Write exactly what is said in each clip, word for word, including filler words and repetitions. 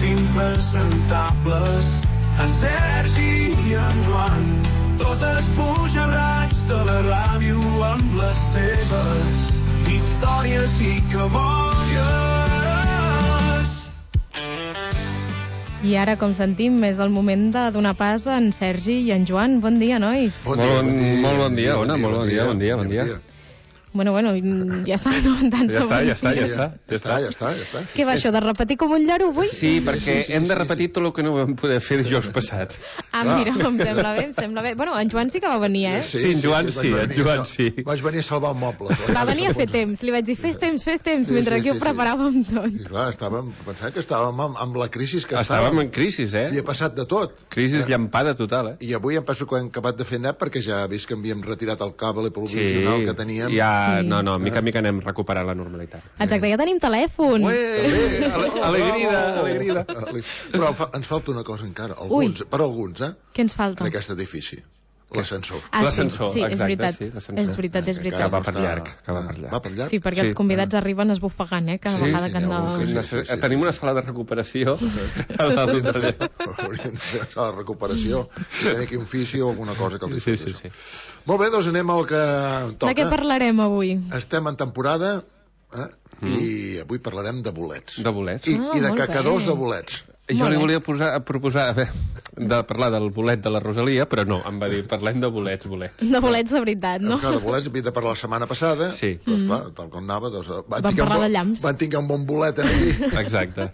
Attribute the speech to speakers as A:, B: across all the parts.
A: impresentables, en Sergi i en Joan, dos esbojarrats de la ràdio amb les seves històries i cabòries.
B: I ara, com sentim, és el moment de donar pas a en Sergi i en Joan. Bon dia, nois.
C: Bon dia,
D: molt,
C: bon dia,
D: molt bon dia, Ona, molt bon dia, bon dia, bon dia.
B: Bueno, bueno, ja està, no? Tants
D: Ja està,
B: bons
D: ja està, ja
B: dies.
D: està.
C: Ja està, ja està, ja està.
B: Què va això, de repetir com un lloro avui?
D: Sí, perquè
C: sí, sí,
D: hem de
C: sí.
D: repetir tot el que no vam poder fer dijous passat.
B: Ah, mira, em sembla bé, em sembla bé. Bueno, en Joan sí que va venir, eh?
D: Sí, en Joan sí,
C: vaig
D: en
C: venir
D: Joan
C: a-
D: sí.
C: Vaig venir a salvar mobles.
B: Va venir a fer temps. Li vaig dir, fes temps, fes temps,
C: Sí,
B: mentre
C: sí,
B: aquí
C: sí,
B: ho
C: sí.
B: preparàvem tot.
C: I clar, estàvem, pensant que estàvem amb, amb la crisi que
D: Estàvem en crisi,
C: Hi
D: eh?
C: ha passat de tot.
D: Crisi llampada total, eh?
C: I avui em penso que hem acabat de fer net perquè ja he vist que havíem retirat el cable
D: Sí,
C: provisional que teníem.
D: ja,
B: Sí.
D: no, no, mica en mica anem recuperant la normalitat.
B: Exacte, ja tenim telèfon.
D: Ué, ale- alegrida, alegrida.
C: Però fa, ens falta una cosa encara, alguns, per alguns, eh,
B: Què ens falta?
C: en aquest edifici. L'ascensor.
B: Ah,
D: L'ascensor,
B: sí, sí, és
D: exacte,
B: veritat.
D: sí, l'ascensor.
B: És veritat, és
C: Que
B: veritat.
D: Que va
C: no
D: per
C: està-
D: llarg, que va per llarg.
C: Va per llarg?
B: Sí, perquè
D: Sí.
B: els convidats arriben esbufegant, eh? Cada
C: Sí,
B: vegada
C: sí,
B: que han
C: n'hi ha un que
B: de...
C: sí.
D: Necess- Tenim una sala de recuperació a la
C: Hauríem de
D: d'allò.
C: fer, hauríem de fer la recuperació, si tenir aquí un fisi o alguna cosa que li
D: Sí,
C: fes
D: sí,
C: això.
D: sí.
C: Molt bé, doncs anem al que toca.
B: De què parlarem avui?
C: Estem en temporada, eh? I avui parlarem de bolets.
D: De bolets.
C: I,
B: Ah,
C: i de
B: molt
C: cacadors
B: bé.
C: de bolets.
D: Jo
B: Molt
D: li
B: bé.
D: volia posar, proposar a veure, de parlar del bolet de la Rosalia, però no, em va dir, parlem de bolets, bolets.
B: De bolets de veritat, no?
C: Clar, de bolets havia de parlar la setmana passada,
D: Sí.
C: però clar, tal com anava, doncs, van,
B: Vam
C: tinguer un
B: parlar
C: bon-
B: de llamps.
C: van tinguer un bon bolet aquí
D: Exacte.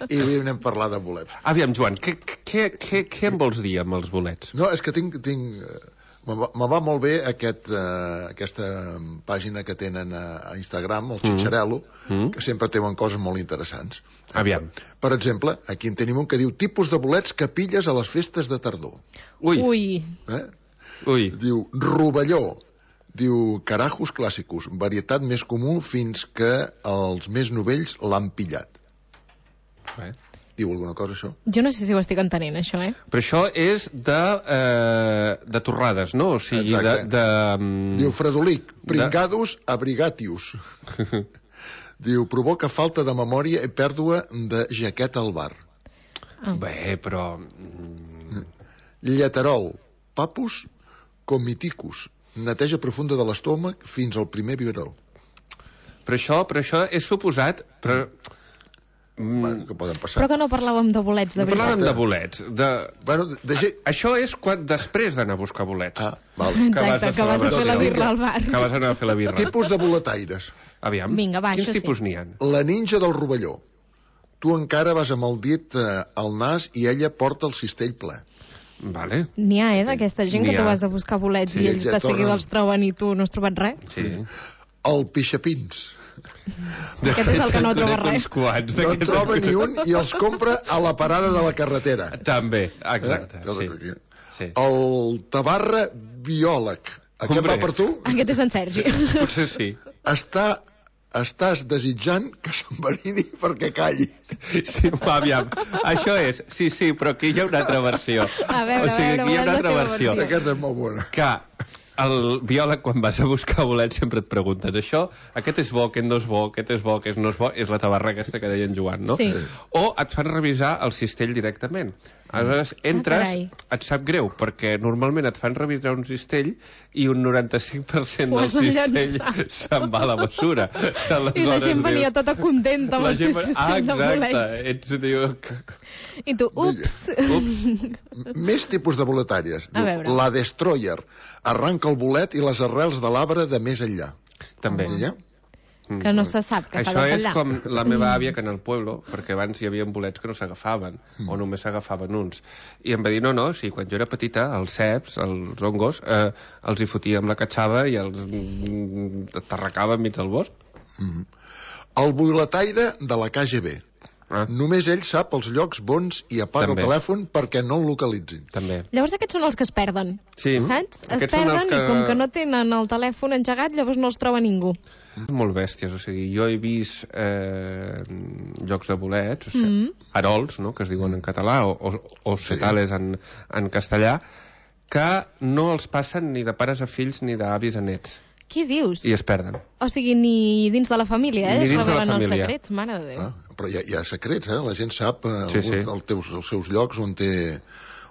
C: i avui anem a parlar de bolets.
D: Aviam, Joan, què, què, què, què em vols dir amb els bolets?
C: No, és que tinc... tinc eh, me va, me va molt bé aquest, uh, aquesta pàgina que tenen a, a Instagram, el Xitxarel·lo,
D: Mm.
C: que sempre teuen coses molt interessants.
D: Aviam.
C: Per exemple, aquí en tenim un que diu tipus de bolets que pilles a les festes de tardor.
D: Ui, ui.
B: Ui,
C: Eh?
D: ui.
C: Diu rovelló. Diu carajos clàssicos, varietat més comú fins que els més novells l'han pillat.
D: Bé.
C: Diu alguna cosa, això?
B: jo no sé si ho estic entenent, això, eh?
D: Però això és de, eh, de torrades, no? O sigui, de...
C: Exacte.
D: de mm,
C: Diu fredolic, pringados abrigatius. Diu provoca falta de memòria i pèrdua de jaqueta al bar.
D: Bé, però... mm,
C: Lleterol, papus comiticus, neteja profunda de l'estómac fins al primer biberó.
D: Però això, però això és suposat... Però, mm,
C: Bueno, que poden passar.
B: Però que no parlàvem de bolets, de
D: no parlàvem
B: veritat.
D: de bolets. De...
C: Bueno, de, de, ge-
D: Això és quan, després d'anar a buscar bolets.
C: Ah, val.
B: Exacte, que vas a fer la
D: celebració.
B: birra al bar.
D: Que vas anar a fer la birra.
C: Tipus de boletaires.
D: Aviam,
B: Vinga, va,
D: quins
B: això sí.
D: tipus n'hi ha?
C: La ninja del rovelló. Tu encara vas amb el dit eh, al nas i ella porta el cistell ple.
D: Vale,
B: N'hi ha, eh, d'aquesta gent
D: N'hi
B: que tu
D: ha.
B: vas a buscar bolets
C: Sí,
B: i ells
C: ja
B: de seguida
C: tornen.
B: els troben i tu no has trobat res.
D: sí.
C: El pixapins.
B: Aquest és el que no troba
D: Conec
B: res.
D: uns quants
C: No en
D: d'aquests.
C: troba ni un i els compra a la parada de la carretera.
D: També, exacte,
C: Eh?
D: sí. sí.
C: El tabarra biòleg. Aquest
D: Hombre.
C: va per tu?
B: Aquest és en Sergi.
D: Potser sí.
C: Està, estàs desitjant que s'enverini perquè calli.
D: Sí, va, aviam. Això és, sí, sí, però aquí hi ha una altra versió.
B: A veure,
D: o sigui,
B: a veure,
D: aquí hi ha
B: volem
D: una
B: la
D: altra
B: teva
D: versió.
B: versió.
C: Aquesta és molt bona.
D: Que el biòleg, quan vas a buscar bolets, sempre et preguntes això, aquest és bo, aquest no és bo, aquest és bo, aquest no és bo, és la tabarra aquesta que deia en Joan, no?
B: Sí.
D: O et fan revisar el cistell directament. Aleshores, entres,
B: carai.
D: et sap greu, perquè normalment et fan revisar un cistell i un noranta-cinc per cent
B: Ho
D: del
B: has de
D: cistell
B: llançar.
D: se'n va a la bessura.
B: I la gent venia tota contenta amb
D: la
B: el seu
D: gent...
B: cistell
D: Ah,
B: de
D: exacte.
B: bolets.
D: Ets, diu... que-
B: I tu, ups.
D: Ups.
C: Més tipus de boletàries.
B: A veure.
C: La destroyer. Arranca el bolet i les arrels de l'arbre de més enllà.
D: També.
C: I ja?
B: Que no se sap, que s'ha
D: Això
B: de
D: és
B: tallar.
D: com la meva àvia, que en el pueblo, perquè abans hi havia bolets que no s'agafaven, mm. o només s'agafaven uns. I em va dir, no, no, sí, quan jo era petita, els ceps, els hongos, eh, els hi fotia amb la catxava i els mm, aterracava enmig del bosc.
C: Mm. El boletaire de la K G B.
D: Ah,
C: Només ell sap els llocs bons i apaga
D: També.
C: el telèfon perquè no el localitzin.
D: també.
B: Llavors aquests són els que es perden,
D: Sí.
B: saps? Es
D: Aquests són
B: perden
D: els que-
B: i com que no tenen el telèfon engegat, llavors no els troba ningú.
D: Molt bèsties, o sigui, jo he vist eh, llocs de bolets, o sigui,
B: Mm.
D: arols, no?, que es diuen en català, o, o, o setales en, en castellà, que no els passen ni de pares a fills ni d'avis a nets.
B: Què dius?
D: I es perden.
B: O sigui, ni dins de la família, eh?
D: Ni
B: Es
D: dins de la
B: revelen els
D: família.
B: secrets, mare de Déu.
C: Ah, però hi ha, hi ha secrets, eh? La gent sap eh,
D: Sí, sí.
C: alguns, els, teus, els seus llocs on té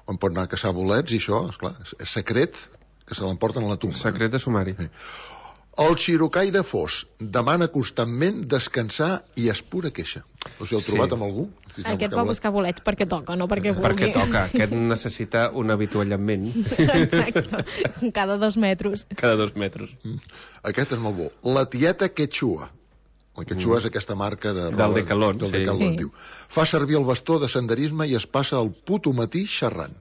C: on pot anar a caçar bolets i això, esclar, és secret que se l'emporten a la tumba.
D: Secret de sumari.
C: Sí. El xirocaire fos demana constantment descansar i es pura queixa. O sigui, heu
D: Sí.
C: trobat amb algú? Si
B: Aquest va buscar bolets perquè toca, no perquè vulgui.
D: Perquè toca. Aquest necessita un avituallament
B: Exacte, cada dos metres.
D: cada dos metres.
C: Aquest és molt bo. La tieta Quechua. La Quechua mm. és aquesta marca de roba...
D: Del Decathlon,
C: del
D: sí.
C: Decathlon,
B: Sí.
C: diu. Fa servir el bastó de senderisme i es passa el puto matí xerrant.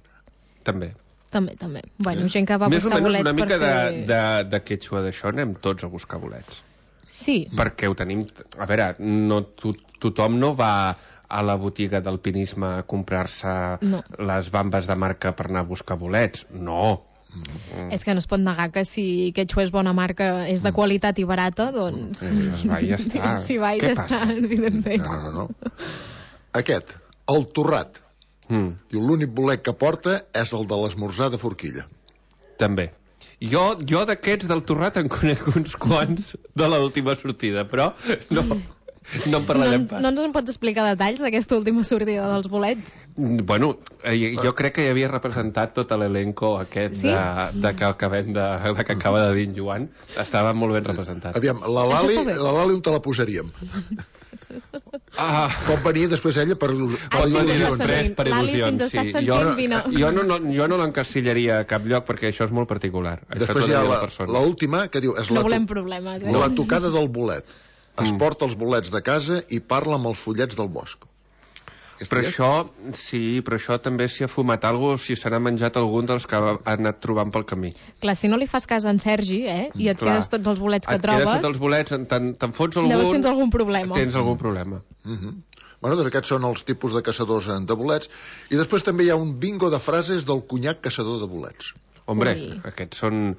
D: També.
B: També, també. Bueno, gent que va
D: Més o
B: buscar
D: menys
B: bolets
D: una mica
B: perquè...
D: de, de, de quechua d'això anem tots a buscar bolets.
B: Sí,
D: Perquè ho tenim... A veure, no, to, tothom no va a la botiga d'alpinisme a comprar-se
B: No.
D: les bambes de marca per anar a buscar bolets. No.
B: és que no es pot negar que si Quechua és bona marca, és de qualitat i barata, doncs...
D: Eh, es va i ja està.
B: Si va i
D: Què
B: ja
D: passa?
B: està, evidentment.
C: No, no, no. Aquest, el torrat.
D: Mm,
C: Diu, l'únic bolet que porta és el de l'esmorzar de forquilla.
D: també. Jo, jo d'aquests del Torrat en conec uns quants de l'última sortida, però no, no en parlarem
B: no,
D: pas.
B: no ens en pots explicar detalls d'aquesta última sortida dels bolets?
D: Bueno, eh, jo crec que hi havia representat tot l'elenco aquest
B: Sí?
D: de, de que acabem de, de que acaba de dir en Joan. Estava molt ben representat.
C: Aviam, la
B: Això
C: Lali,
B: està bé.
C: la Lali on te la posaríem?
D: Ah,
C: Pot venir després ella per, il·lu- per
B: Ah, sí,
C: il·lusions.
B: ja
D: després
B: sentint.
D: per
B: L'Ali, si
D: il·lusions.
B: ens estàs
D: Sí.
B: sentint,
D: Jo,
B: vine.
D: jo no, no, jo no l'encasillaria a cap lloc perquè això és molt particular. Això
C: Després
D: t'ho
C: hi ha
D: diria
C: la,
D: la persona.
C: la última, que diu... És
B: No
C: la,
B: volem
C: to-
B: problemes, eh?
C: la tocada del bolet. Es
D: Mm.
C: porta els bolets de casa i parla amb els follets del bosc. Aquesta
D: Però
C: és?
D: això, sí, però això també s'hi ha fumat alguna cosa, si se n'ha menjat algun dels que ha anat trobant pel camí.
B: Clar, si no li fas cas a en Sergi, eh, i et
D: Clar.
B: quedes tots els bolets que
D: Et quedes
B: trobes,
D: tots els bolets, te'n te fots algun...
B: llavors tens algun problema.
D: Tens algun problema.
C: Mhm. Bueno, doncs aquests són els tipus de caçadors eh, de bolets. I després també hi ha un bingo de frases del cunyac caçador de bolets.
D: Hombre,
B: Ui.
D: aquests són...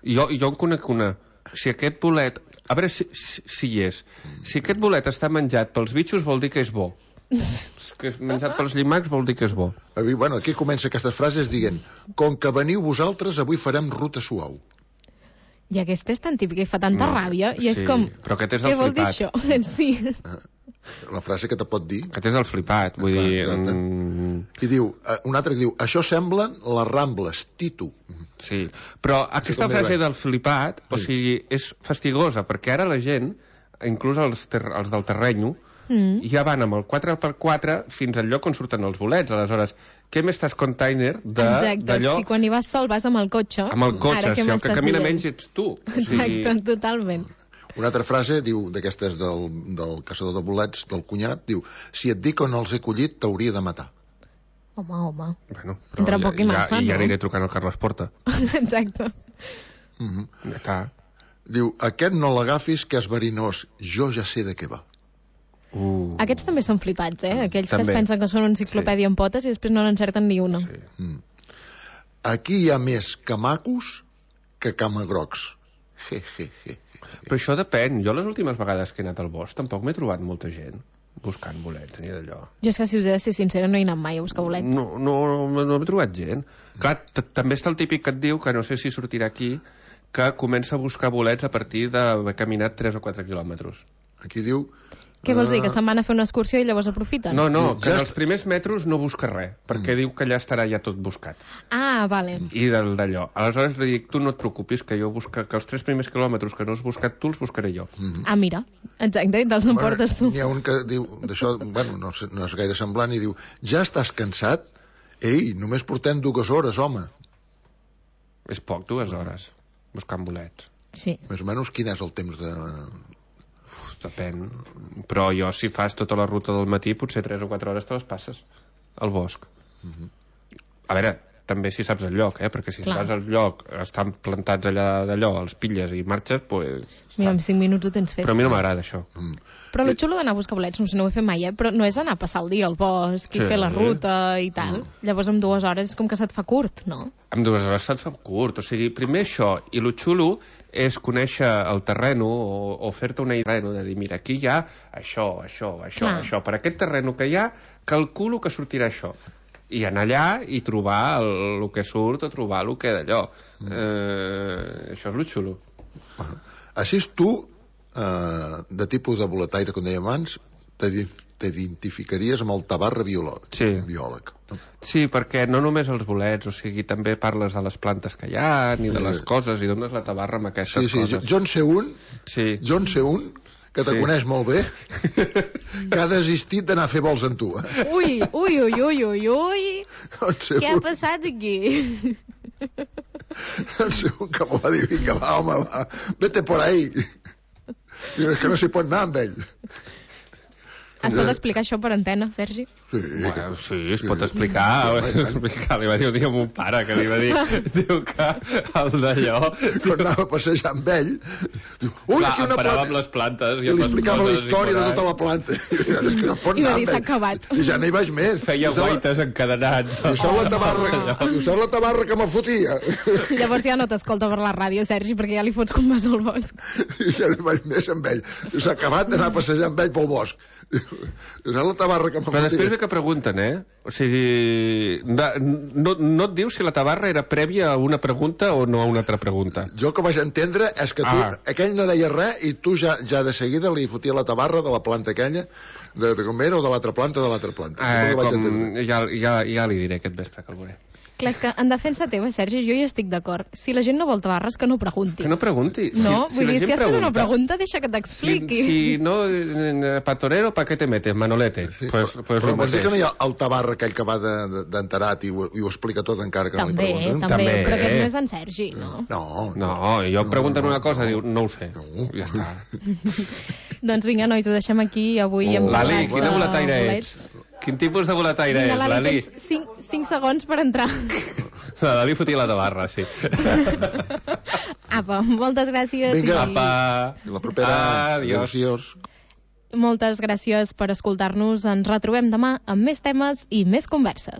D: Jo, jo en conec una. Si aquest bolet... A veure si, si, si hi és. Si aquest bolet està menjat pels bitxos vol dir que és bo. Si que és menjat pels llimacs vol dir que és bo.
C: Avui, bueno, aquí comença aquestes frases dient: com que veniu vosaltres, avui farem ruta suau.
B: I aquest és tan típic i fa tanta
D: No,
B: ràbia, i és
D: sí,
B: com...
D: però aquest és
B: Què
D: el
B: vol dir
D: flipat.
B: això? Sí.
C: La frase que te pot dir.
D: Aquest és el flipat. Vull
C: Clar,
D: dir...
C: exacte.
D: Mm,
C: I diu, eh, un altre que diu, això semblen les Rambles, Tito.
D: sí. Però aquesta
C: com
D: frase
C: era?
D: del flipat, o
C: Sí.
D: sigui, és fastigosa, perquè ara la gent, inclús els, ter els del terrenyo,
B: Mm.
D: ja van amb el quatre per quatre fins al lloc on surten els bolets. Aleshores, què m'estàs container
B: Exacte,
D: d'allò...
B: si quan hi vas sol vas amb el cotxe...
D: Amb el cotxe,
B: ara què
D: si el que
B: m'estàs
D: camina
B: dient?
D: menys ets tu. O
B: Exacte, totalment.
C: Una altra frase, diu, d'aquestes del, del caçador de bolets, del cunyat, diu, si et dic on els he collit, t'hauria de matar.
B: Home, home.
D: Bueno, però
B: Entre
D: ja,
B: poc i massa,
D: ja, I
B: no?
D: ja aniré trucant al Carles Porta.
B: Exacte.
C: Mhm.
D: Ja està.
C: Diu, aquest no l'agafis, que és verinós, jo ja sé de què va.
D: Uh.
B: Aquests també són flipats, eh? Aquells que
D: També.
B: es pensen que són una enciclopèdia en potes i després no n'encerten ni una.
D: Sí.
C: Mm. Aquí hi ha més camacos que camagrocs. Je, je, je.
D: Però això depèn. Jo les últimes vegades que he anat al bosc tampoc m'he trobat molta gent buscant bolets ni d'allò.
B: Jo és que si us he de ser sincera no he anat mai a buscar bolets.
D: No, no, no, no he trobat gent. Clar, t- també està el típic que et diu, que no sé si sortirà aquí, que comença a buscar bolets a partir d'haver caminat tres o quatre quilòmetres.
C: Aquí diu...
B: Què vols dir,
C: ah,
B: que se'n van a fer una excursió i llavors aprofiten?
D: No, no,
C: Diu,
D: que
C: ja
D: en
C: est-
D: els primers metres no busca res, perquè diu que allà estarà ja tot buscat.
B: Ah, vale.
D: I del d'allò. Aleshores li dic, tu no et preocupis, que jo busca, que els tres primers quilòmetres que no has buscat tu els buscaré jo.
B: Ah, mira. Exacte, i te'ls emportes tu.
C: N'hi ha un que diu, d'això, bueno, no, sé- no és gaire semblant, i diu, ja estàs cansat? Ei, només portem dues hores, home.
D: És poc, dues hores, buscant bolets.
B: Sí.
C: Més o menys, quin és el temps de...
D: Uf, depèn. Però jo, si fas tota la ruta del matí, potser tres o quatre hores te les passes al bosc. A veure, també si saps el lloc, eh? Perquè si
B: Clar.
D: vas al lloc, estan plantats allà d'allò, els pilles i marxes, pues...
B: Mira, en cinc minuts ho tens fet.
D: Però a mi no m'agrada això.
C: Mm.
B: Però el xulo d'anar a buscar bolets, no sé, no ho he fet mai, eh? Però no és anar a passar el dia al bosc i
D: Sí.
B: fer la ruta i tal. Llavors amb dues hores és com que se't fa curt, no?
D: Amb dues hores se't fa curt. O sigui, primer això, i lo xulo és conèixer el terreno o, o fer-te una idea de dir, mira, aquí hi ha això, això, això,
B: Clar.
D: això. Per aquest terreno que hi ha, calculo que sortirà això. I anar allà i trobar el, el que surt o trobar el que d'allò. Eh, això és lo xulo.
C: Així tu, eh, de tipus de boletaire, com dèiem abans, t'identificaries amb el Tabarra biòleg.
D: Sí.
C: biòleg.
D: Sí, perquè no només els bolets, o sigui, també parles de les plantes que hi ha, ni de les coses, i dones la tabarra amb aquestes
C: sí, sí,
D: coses.
C: Jo en sé un,
D: sí.
C: jo en sé un, que te
D: Sí.
C: coneix molt bé, que ha desistit d'anar a fer vols amb tu. Eh?
B: Ui, ui, ui, ui, ui, ui.
C: En sé
B: Què ha
C: un,
B: passat aquí?
C: en sé un que m'ho va dir, vinga, va, home, va, vete por ahí. I és que no s'hi pot anar amb ell.
B: Es pot explicar això per antena, Sergi?
C: Sí,
D: Bueno, sí, es pot explicar, es pot explicar. Li va dir un dia a mon pare, que li va dir, diu que el d'allò...
C: quan anava a passejar amb ell, diu, ui,
D: Clar,
C: aquí una
D: parava
C: planta.
D: amb les plantes
C: I
D: i amb
C: li
D: les
C: explicava la
D: coses
C: història de
D: i
C: tota la planta. I és que no pot
B: I va
C: anar
B: dir,
C: amb
B: s'ha
C: ell.
B: acabat.
C: I ja no hi vaig més.
D: feia
C: I saps la-
D: guaites encadenats.
C: I saps la tabarra, i saps la tabarra que me fotia?
B: Llavors ja no t'escolta per la ràdio, Sergi, perquè ja li fots com vas al bosc.
C: I ja no hi vaig més amb ell. S'ha acabat d'anar a passejar amb ell pel bosc. I saps la tabarra que me
D: Però després
C: fotia?
D: ve que pregunten, eh? O sigui, no, no, no et diu si la tabarra era prèvia a una pregunta o no a una altra pregunta.
C: Jo que vaig entendre és que tu,
D: Ah.
C: aquell no deia res i tu ja, ja de seguida li fotia la tabarra de la planta aquella, de, de com era, o de l'altra planta, de l'altra planta.
D: Eh,
C: Jo vaig
D: com,
C: entendre.
D: ja, ja, ja li diré aquest vespre que el veuré.
B: Clar, és que en defensa teva, Sergi, jo hi estic d'acord. Si la gent no vol tabarres, que no pregunti.
D: Que no pregunti.
B: No,
D: si,
B: vull
D: la
B: dir,
D: gent
B: si has fet una
D: pregunta,
B: pregunta, deixa que t'expliqui.
D: Si, si no, eh, pa torero, ¿pa qué te metes, Manolete?
C: Sí,
D: pues,
C: però-
D: pues
C: però
D: lo
C: vols dir que no hi
D: mateix.
C: ha el tabarra aquell que va de- de- d'enterat i, ho- i ho explica tot encara que
B: També,
C: no li pregunten?
B: també,
D: També.
B: però aquest no és en Sergi, no?
C: No,
D: No, i jo em pregunten
C: no,
D: una cosa,
C: no.
D: diu, no ho sé.
C: No.
D: Ja està.
B: Doncs vinga, nois, ho deixem aquí avui.
C: Oh.
B: Hem
D: Lali,
B: parlat
D: quina
B: de
D: boletaire
B: bolets.
D: ets? Quin tipus de boletaire
B: Vinga,
D: ets,
B: Lali,
D: Lali?
B: tens cinc, cinc segons per entrar.
D: La Lali fotia la tabarra, sí.
B: Apa, moltes gràcies.
C: Vinga.
B: i-
D: Apa.
C: I la propera...
D: Adiós.
C: Adiós.
B: Moltes gràcies per escoltar-nos. Ens retrobem demà amb més temes i més converses.